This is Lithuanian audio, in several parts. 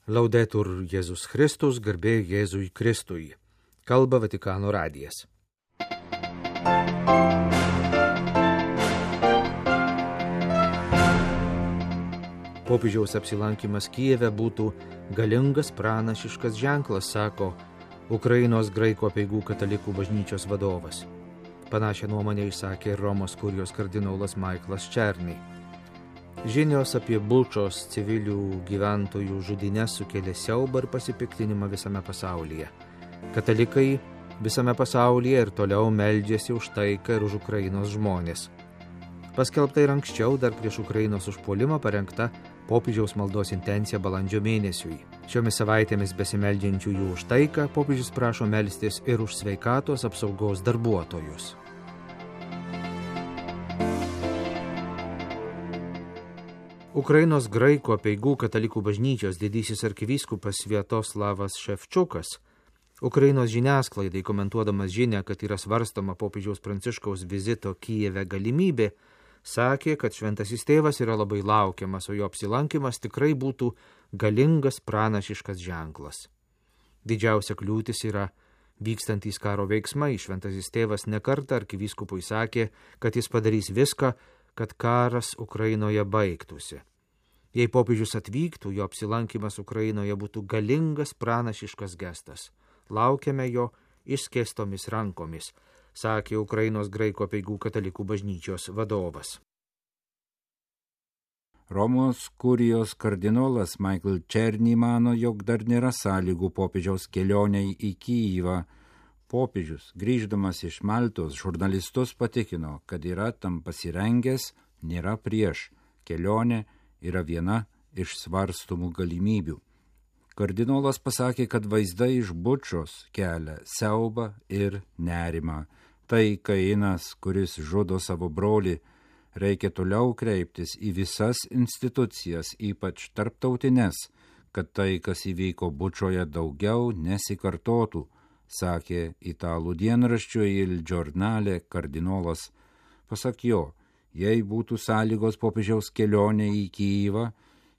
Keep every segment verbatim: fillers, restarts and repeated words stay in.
Laudetur Jėzus Kristus, garbė Jėzui Kristui. Kalba Vatikano radijas. Popiežiaus apsilankimas Kijeve būtų galingas pranašiškas ženklas, sako Ukrainos graikų apeigų katalikų bažnyčios vadovas. Panašią nuomonę išsakė Romos kurijos kardinolas Michaelas Černy. Žinios apie Bučos civilių gyventojų žudynės sukėlė siaubą ir pasipiktinimą visame pasaulyje. Katalikai visame pasaulyje ir toliau meldžiasi už taiką ir už Ukrainos žmonės. Paskelbta ir anksčiau, dar prieš Ukrainos užpuolimą parengta popiežiaus maldos intencija balandžio mėnesiui. Šiomis savaitėmis besimeldžiančiųjų už taiką popiežius prašo melstis ir už sveikatos apsaugos darbuotojus. Ukrainos graikų apeigų katalikų bažnyčios didysis arkivyskupas Sviatoslavas Ševčiukas Ukrainos žiniasklaidai komentuodamas žinią, kad yra svarstoma popiežiaus Pranciškaus vizito Kijeve galimybė, sakė, kad šventasis tėvas yra labai laukiamas, o jo apsilankimas tikrai būtų galingas pranašiškas ženklas. Didžiausia kliūtis yra vykstantys karo veiksmai. Šventasis tėvas nekartą arkivyskupui sakė, kad jis padarys viską, kad karas Ukrainoje baigtųsi. Jei popiežius atvyktų, jo apsilankimas Ukrainoje būtų galingas pranašiškas gestas. Laukiame jo išskėstomis rankomis, sakė Ukrainos graikų apeigų katalikų bažnyčios vadovas. Romos kurijos kardinolas Michael Černy mano, jog dar nėra sąlygų popiežiaus kelioniai į Kijivą. Popiežius, grįždamas iš Maltos, žurnalistus patikino, kad yra tam pasirengęs, nėra prieš. Kelionė yra viena iš svarstomų galimybių. Kardinolas pasakė, kad vaizdai iš Bučos kelia siaubą ir nerimą. Tai Kainas, kuris žudo savo brolį, reikia toliau kreiptis į visas institucijas, ypač tarptautines, kad tai, kas įvyko Bučoje, daugiau nesikartotų, sakė italų dienraščio Il Giornale kardinolas. Pasak jo, jei būtų sąlygos popiežiaus kelionė į Kijivą,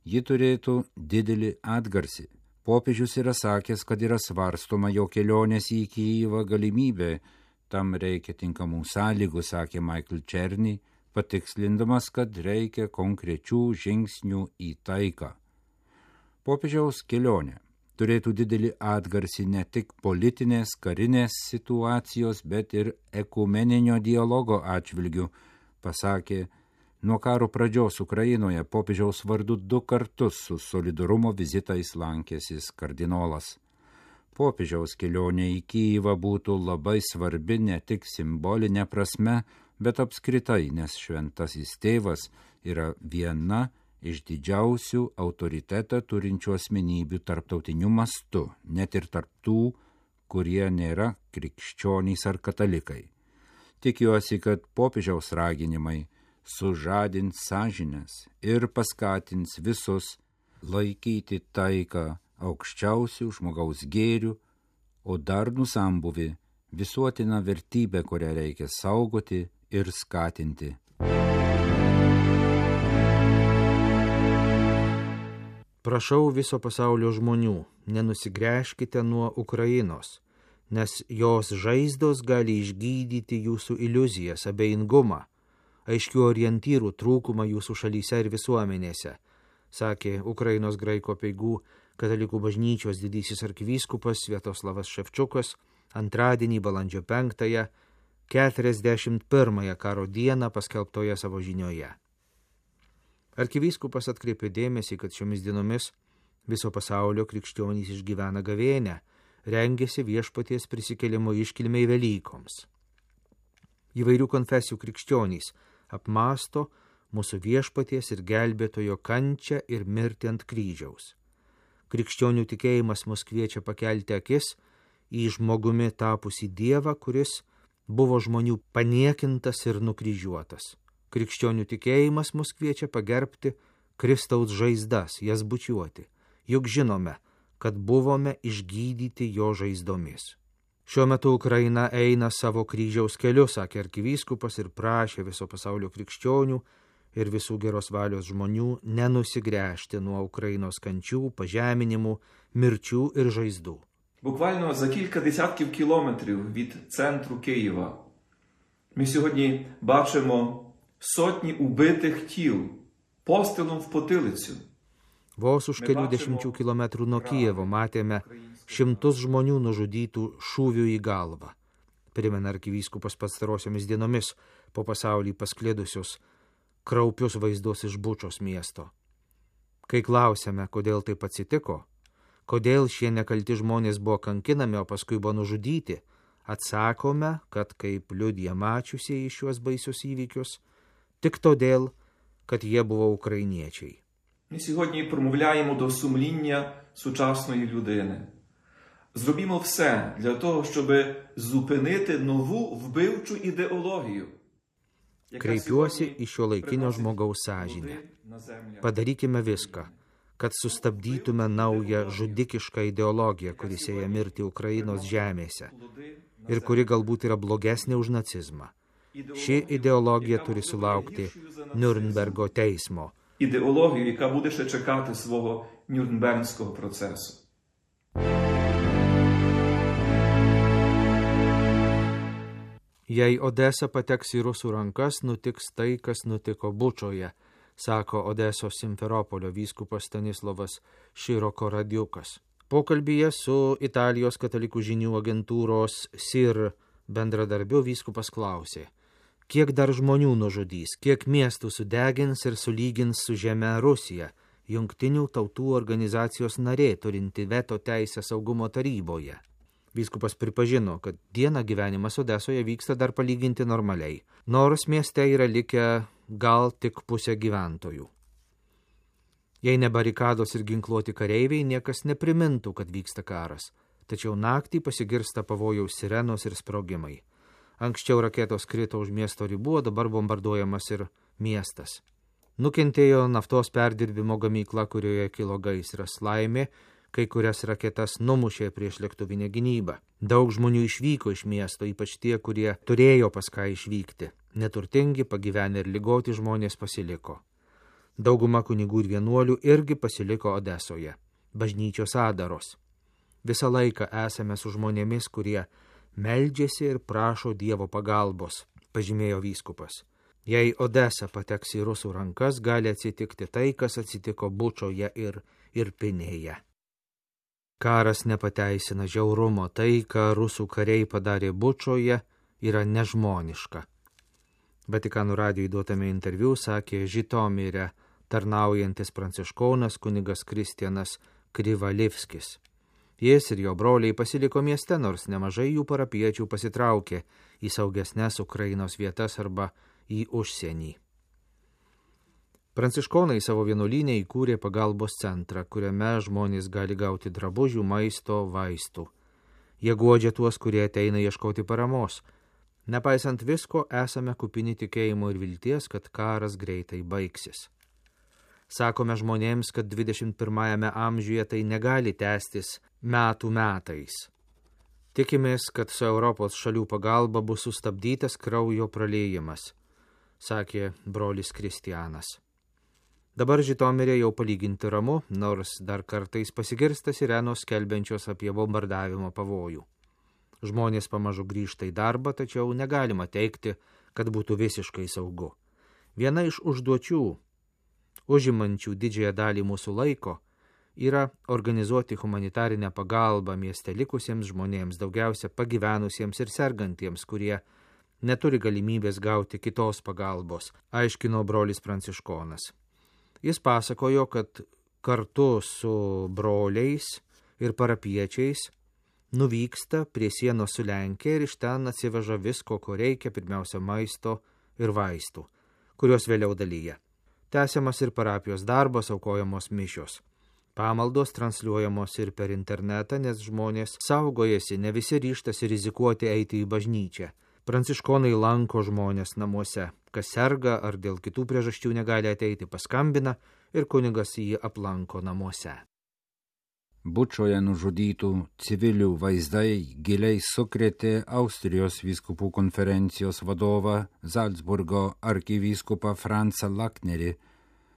ji turėtų didelį atgarsį. Popiežius yra sakęs, kad yra svarstoma jo kelionės į Kijivą galimybė. Tam reikia tinkamų sąlygų, sakė Michael Černy, patikslindamas, kad reikia konkrečių žingsnių į taiką. Popiežiaus kelionė turėtų didelį atgarsį ne tik politinės, karinės situacijos, bet ir ekumeninio dialogo atžvilgių, pasakė, nuo karo pradžios Ukrainoje popiežiaus vardu du kartus su solidarumo vizitais lankėsis kardinolas. Popiežiaus kelionė į Kijivą būtų labai svarbi ne tik simbolinė prasme, bet apskritai, nes šventasis tėvas yra viena iš didžiausių autoritetą turinčių asmenybių tarptautiniu mastu, net ir tarp tų, kurie nėra krikščionys ar katalikai. Tikiuosi, kad popiežiaus raginimai sužadins sąžines ir paskatins visus laikyti taiką aukščiausių žmogaus gėrių, o darnų sambūvį visuotina vertybė, kurią reikia saugoti ir skatinti. Prašau viso pasaulio žmonių, nenusigręžkite nuo Ukrainos, nes jos žaizdos gali išgydyti jūsų iliuzijas, abejingumą, aiškių orientyrų trūkumą jūsų šalyse ir visuomenėse, sakė Ukrainos graikų apeigų katalikų bažnyčios didysis arkivyskupas Sviatoslavas Ševčiukas antradienį balandžio penktąją, keturiasdešimt pirmąją karo dieną paskelbtoje savo žinioje. Arkivyskupas atkreipė dėmesį, kad šiomis dienomis viso pasaulio krikščionys išgyvena gavėnią, rengėsi viešpaties prisikėlimo iškilmei Velykoms. Įvairių konfesijų krikščionys apmąsto mūsų viešpaties ir gelbėtojo kančią ir mirtį ant kryžiaus. Krikščionių tikėjimas mus kviečia pakelti akis į žmogumi tapusį Dievą, kuris buvo žmonių paniekintas ir nukryžiuotas. Krikščionių tikėjimas mus kviečia pagerbti Kristaus žaizdas, jas bučiuoti, juk žinome, kad buvome išgydyti jo žaizdomis. Šiuo metu Ukraina eina savo kryžiaus keliu, sakė arkivyskupas ir prašė viso pasaulio krikščionių ir visų geros valios žmonių nenusigręžti nuo Ukrainos kančių, pažeminimų, mirčių ir žaizdų. Буквально за кілька десятків кілометрів від центру Києва ми сьогодні бачимо сотні убитих тіл пострілом в потилицю. Vos už kelių dešimčių kilometrų nuo Kijevo matėme šimtus žmonių nužudytų šūvių į galvą. Primena arkivyskupas pastarosiomis dienomis po pasaulį pasklidusius kraupius vaizdus iš Bučos miesto. Kai klausėme, kodėl taip atsitiko, kodėl šie nekalti žmonės buvo kankinami, o paskui buvo nužudyti, atsakome, kad kaip liudija mačiusieji šiuos baisius įvykius, tik todėl, kad jie buvo ukrainiečiai. Ми сьогодні промовляємо до сумління сучасної людини. Зробімо все для того, щоб зупинити нову вбивчу ідеологію. Kreipiuosi į šiuolaikinio žmogaus sąžinę. Padarykime viską, kad sustabdytume naują žudikišką ideologiją, kuri sieja mirti Ukrainos žemėse ir kuri galbūt yra blogesnė už nacizmą. Ši ideologija turi sulaukti Niurnbergo teismo. Ідеологію, яка буде ще чекати свого Нюрнбергського процесу. Jei Odesa pateks į rusų rankas, nutiks tai, kas nutiko Bučoje, sako Odesos Simferopolio vyskupas Stanislavas Široko Radiukas. Pokalbyje su Italijos katalikų žinių agentūros S I R bendradarbiu vyskupas klausė, kiek dar žmonių nužudys, kiek miestų sudegins ir sulygins su žeme Rusija, Jungtinių tautų organizacijos narė turinti veto teisę saugumo taryboje. Vyskupas pripažino, kad dieną gyvenimas Odesoje vyksta dar palyginti normaliai, nors mieste yra likę gal tik pusė gyventojų. Jei ne barikados ir ginkluoti kareiviai, niekas neprimintų, kad vyksta karas, tačiau naktį pasigirsta pavojaus sirenos ir sprogimai. Anksčiau raketos krito už miesto ribų, o dabar bombarduojamas ir miestas. Nukentėjo naftos perdirbimo gamykla, kurioje kilo gaisras. Laimė, kai kurias raketas numušė prieš lėktuvinę gynybą. Daug žmonių išvyko iš miesto, ypač tie, kurie turėjo pas ką išvykti. Neturtingi, pagyvenę ir ligoti žmonės pasiliko. Dauguma kunigų ir vienuolių irgi pasiliko Odesoje, bažnyčios adaros. Visą laiką esame su žmonėmis, kurie meldžiasi ir prašo Dievo pagalbos, pažymėjo vyskupas. Jei Odesa pateks į rusų rankas, gali atsitikti tai, kas atsitiko Bučoje ir Irpinėje. Karas nepateisina žiaurumo, tai, ką rusų kariai padarė Bučoje, yra nežmoniška. Vatikanų radijui duotame interviu sakė Žitomire tarnaujantis pranciškonas kunigas Kristianas Krivalivskis. Jis ir jo broliai pasiliko mieste, nors nemažai jų parapiečių pasitraukė į saugesnes Ukrainos vietas arba į užsienį. Pranciškonai savo vienuolynę įkūrė pagalbos centrą, kuriame žmonės gali gauti drabužių, maisto, vaistų. Jie guodžia tuos, kurie ateina ieškoti paramos. Nepaisant visko, esame kupini tikėjimo ir vilties, kad karas greitai baigsis. Sakome žmonėms, kad dvidešimt pirmajame amžiuje tai negali tęstis metų metais. Tikimės, kad su Europos šalių pagalba bus sustabdytas kraujo praliejimas, sakė brolis Kristianas. Dabar Žitomirė jau palyginti ramu, nors dar kartais pasigirsta sirenos skelbiančios apie bombardavimo pavojų. Žmonės pamažu grįžta į darbą, tačiau negalima teigti, kad būtų visiškai saugu. Viena iš užduočių, užimančių didžiąją dalį mūsų laiko, yra organizuoti humanitarinę pagalbą mieste likusiems žmonėms, daugiausia pagyvenusiems ir sergantiems, kurie neturi galimybės gauti kitos pagalbos, aiškino brolis pranciškonas. Jis pasakojo, kad kartu su broliais ir parapiečiais nuvyksta prie sienos su Lenkija ir iš ten atsiveža visko, ko reikia, pirmiausia maisto ir vaistų, kuriuos vėliau dalyja. Tęsiamas ir parapijos darbas, aukojamos mišios. Pamaldos transliuojamos ir per internetą, nes žmonės saugojasi, ne visi ryžtasi rizikuoti eiti į bažnyčią. Pranciškonai lanko žmonės namuose, kas serga ar dėl kitų priežasčių negali ateiti, paskambina ir kunigas jį aplanko namuose. Bučoje nužudytų civilių vaizdai giliai sukrėtė Austrijos vyskupų konferencijos vadovą Zalcburgo arkivyskupą Francą Laknerį.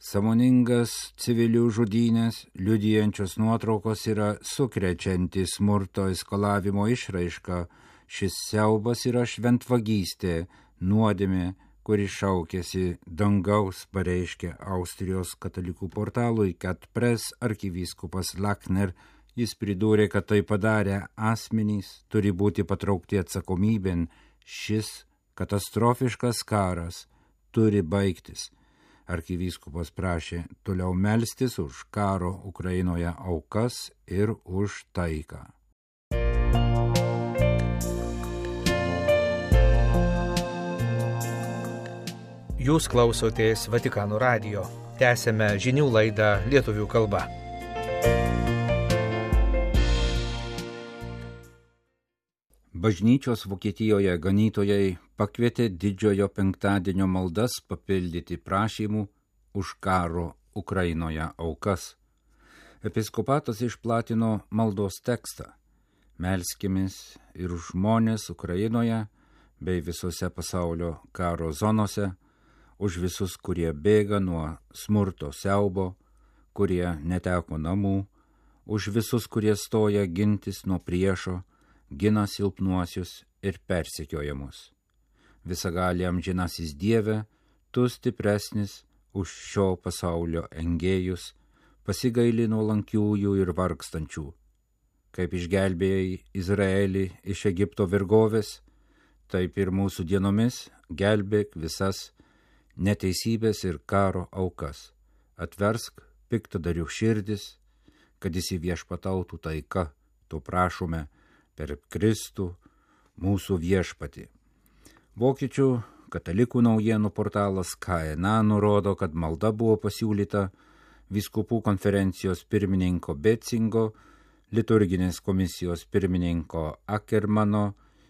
Sąmoningas civilių žudynės liudijančios nuotraukos yra sukrečianti smurto eskalavimo išraiška. Šis siaubas yra šventvagystė, nuodėmė, kuri šaukėsi dangaus, pareiškė Austrijos katalikų portalui Cat Press arkivyskupas Lakner. Jis pridūrė, kad tai padarę asmenys turi būti patraukti atsakomybėn. Šis katastrofiškas karas turi baigtis. Arkivyskupas prašė toliau melstis už karo Ukrainoje aukas ir už taiką. Jūs klausotės Vatikano radijo. Tęsėme žinių laidą lietuvių kalba. Bažnyčios Vokietijoje ganytojai pakvietė didžiojo penktadienio maldas papildyti prašymų už karo Ukrainoje aukas. Episkopatas išplatino maldos tekstą. Melskimės ir už žmonės Ukrainoje bei visose pasaulio karo zonose, už visus, kurie bėga nuo smurto siaubo, kurie neteko namų, už visus, kurie stoja gintis nuo priešo, gina silpnuosius ir persekiojamus. Visagali amžinasis Dieve, tu stipresnis už šio pasaulio engėjus, pasigaili nuolankiųjų ir vargstančių. Kaip išgelbėjai Izraelį iš Egipto vergovės, taip ir mūsų dienomis gelbėk visas neteisybės ir karo aukas. Atversk piktadarių širdis, kad įsiviešpatautų taika, to prašome per Kristų mūsų viešpatį. Vokiečių katalikų naujienų portalas K N A nurodo, kad malda buvo pasiūlyta vyskupų konferencijos pirmininko Betzingo, liturginės komisijos pirmininko Ackermano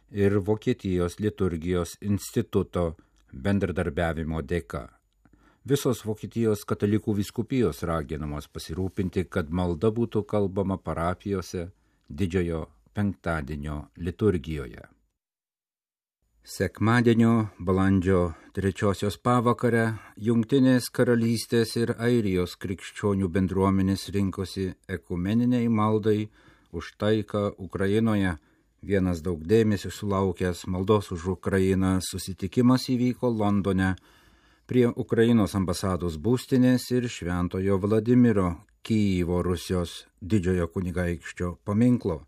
ir Vokietijos liturgijos instituto bendradarbiavimo dėka. Visos Vokietijos katalikų vyskupijos raginamos pasirūpinti, kad malda būtų kalbama parapijose didžiojo penktadienio liturgijoje. Sekmadienio balandžio trečiosios pavakarę Jungtinės karalystės ir Airijos krikščionių bendruomenės rinkosi ekumeniniai maldai už taiką Ukrainoje. Vienas daug dėmesio sulaukęs maldos už Ukrainą susitikimas įvyko Londone prie Ukrainos ambasados būstinės ir Šventojo Vladimiro Kijevo Rusijos didžiojo kunigaikščio paminklo.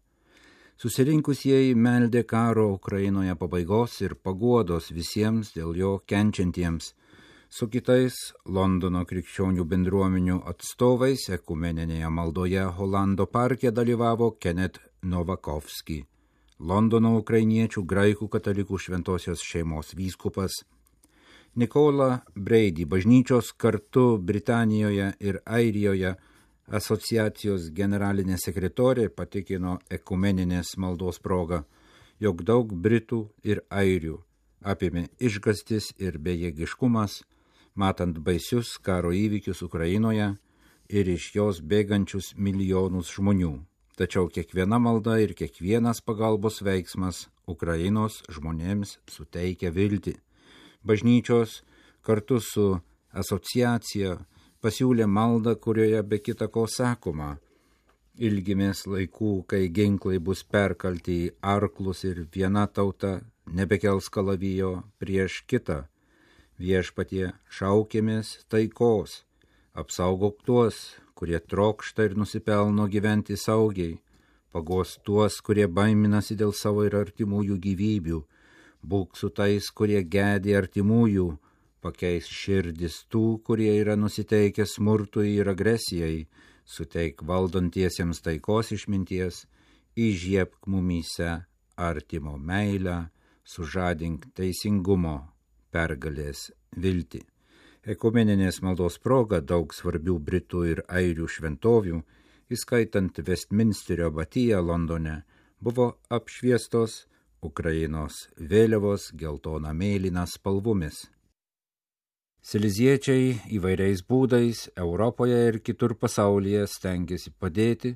Susirinkusieji meldė karo Ukrainoje pabaigos ir paguodos visiems dėl jo kenčiantiems. Su kitais Londono krikščionių bendruomenių atstovais ekumeninėje maldoje Holando parke dalyvavo Kenneth Novakovski, Londono ukrainiečių graikų katalikų šventosios šeimos vyskupas. Nikola Brady, bažnyčios kartu Britanijoje ir Airijoje asociacijos generalinė sekretorė, patikino ekumeninės maldos proga, jog daug Britų ir Airių apėmė išgąstis ir bejėgiškumas, matant baisius karo įvykius Ukrainoje ir iš jos bėgančius milijonus žmonių. Tačiau kiekviena malda ir kiekvienas pagalbos veiksmas Ukrainos žmonėms suteikia viltį. Bažnyčios kartu su asociacija pasiūlė maldą, kurioje be kita ko sakoma: ilgimės laikų, kai ginklai bus perkalti į arklus ir viena tauta nebekels kalavijo prieš kitą. Viešpatie, šaukėmės taikos, apsaugok tuos, kurie trokšta ir nusipelno gyventi saugiai, pagos tuos, kurie baiminasi dėl savo ir artimųjų gyvybių, būk su tais, kurie gedi artimųjų, pakeis širdis tų, kurie yra nusiteikę smurtui ir agresijai, suteik valdantiesiems taikos išminties, įžiebk mumyse artimo meilę, sužadink teisingumo pergalės viltį. Ekumeninės maldos proga daug svarbių Britų ir Airių šventovių, įskaitant Westminsterio abatiją Londone, buvo apšviestos Ukrainos vėliavos geltona mėlyna spalvomis. Sileziečiai įvairiais būdais Europoje ir kitur pasaulyje stengiasi padėti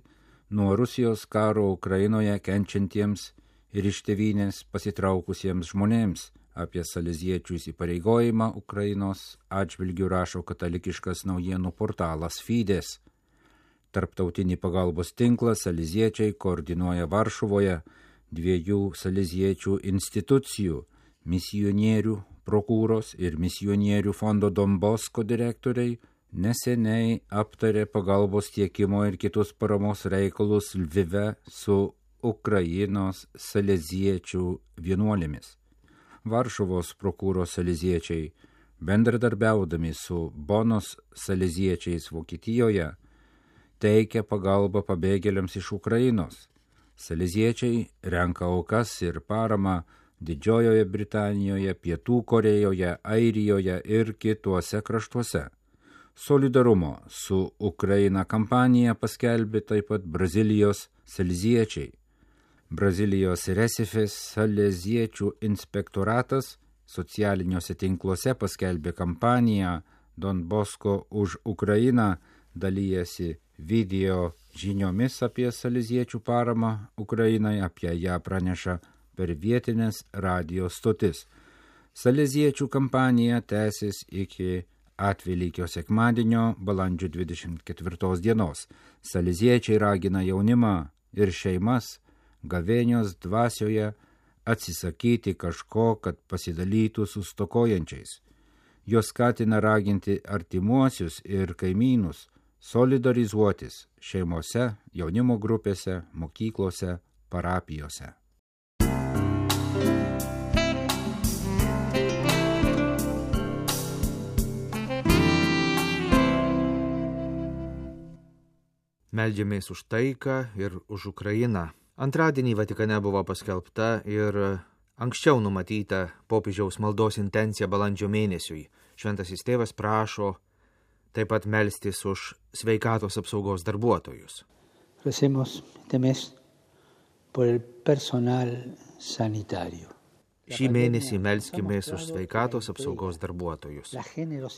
nuo Rusijos karo Ukrainoje kenčiantiems ir iš tėvynės pasitraukusiems žmonėms. Apie saleziečių įsipareigojimą Ukrainos atžvilgių rašo katalikiškas naujienų portalas Fides. Tarptautinį pagalbos tinklą saleziečiai koordinuoja Varšuvoje dviejų saleziečių institucijų – misionierių prokūros ir misionierių fondo Don Bosco direktoriai neseniai aptarė pagalbos tiekimo ir kitus paramos reikalus Lvive su Ukrainos saleziečių vienuolėmis. Varšuvos prokūros saleziečiai, bendradarbiaudami su Bonos saleziečiais Vokietijoje, teikia pagalbą pabėgėliams iš Ukrainos. Saleziečiai renka aukas ir paramą Didžiojoje Britanijoje, Pietų Korėjoje, Airijoje ir kituose kraštuose. Solidarumo su Ukraina kampaniją paskelbė taip pat Brazilijos saleziečiai. Brazilijos Resifės saleziečių inspektoratas socialiniuose tinkluose paskelbė kampaniją Don Bosco už Ukrainą, dalyjasi video žiniomis apie saleziečių paramą Ukrainai, apie ją praneša per vietinės radijo stotis. Saleziečių kampanija tęsis iki Atvelykio sekmadienio balandžio dvidešimt ketvirtos dienos. Saleziečiai ragina jaunimą ir šeimas gavėnios dvasioje atsisakyti kažko, kad pasidalytų su stokojančiais. Jos skatina raginti artimuosius ir kaimynus solidarizuotis šeimose, jaunimo grupėse, mokyklose, parapijose. Meldžiamės už taiką ir už Ukrainą. Antradienį Vatikane buvo paskelbta ir anksčiau numatyta popiežiaus maldos intencija balandžio mėnesiui. Šventasis tėvas prašo taip pat melstis už sveikatos apsaugos darbuotojus. Recemos este mes por el personal sanitario. Šį mėnesį melskimės už sveikatos apsaugos darbuotojus.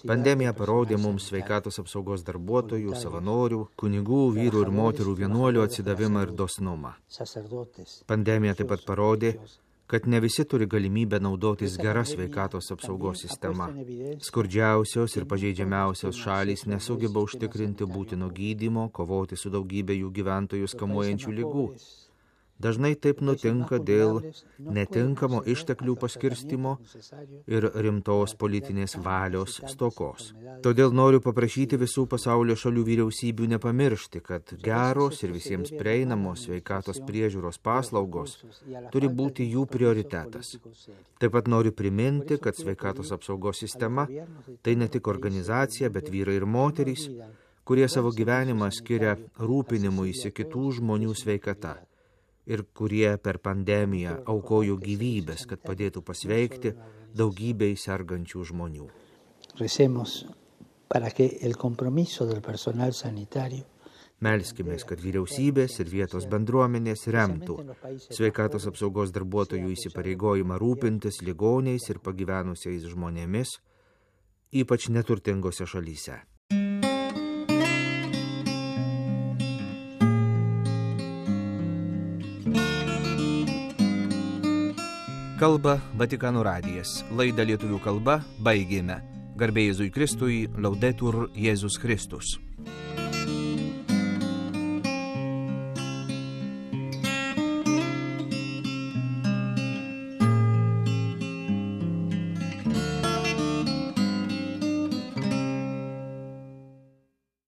Pandemija parodė mums sveikatos apsaugos darbuotojų, savanorių, kunigų, vyrų ir moterų vienuolių atsidavimą ir dosnumą. Pandemija taip pat parodė, kad ne visi turi galimybę naudotis gera sveikatos apsaugos sistema. Skurdžiausios ir pažeidžiamiausios šalys nesugeba užtikrinti būtino gydymo, kovoti su daugybė jų gyventojus kamuojančių ligų. Dažnai taip nutinka dėl netinkamo išteklių paskirstimo ir rimtos politinės valios stokos. Todėl noriu paprašyti visų pasaulio šalių vyriausybių nepamiršti, kad geros ir visiems prieinamos sveikatos priežiūros paslaugos turi būti jų prioritetas. Taip pat noriu priminti, kad sveikatos apsaugos sistema tai ne tik organizacija, bet vyrai ir moterys, kurie savo gyvenimą skiria rūpinimuisi kitų žmonių sveikata ir kurie per pandemiją aukojo gyvybės, kad padėtų pasveikti daugybei sergančių žmonių. Recemos para que el compromiso del personal sanitario Melskimės, kad vyriausybės ir vietos bendruomenės remtų sveikatos apsaugos darbuotojų įsipareigojimą rūpintis ligoniais ir pagyvenusiais žmonėmis, ypač neturtingose šalyse. Kalba Vatikano radijas. Laidą lietuvių kalba baigėme. Garbė Jėzui Kristui, Laudetur Jėzus Kristus.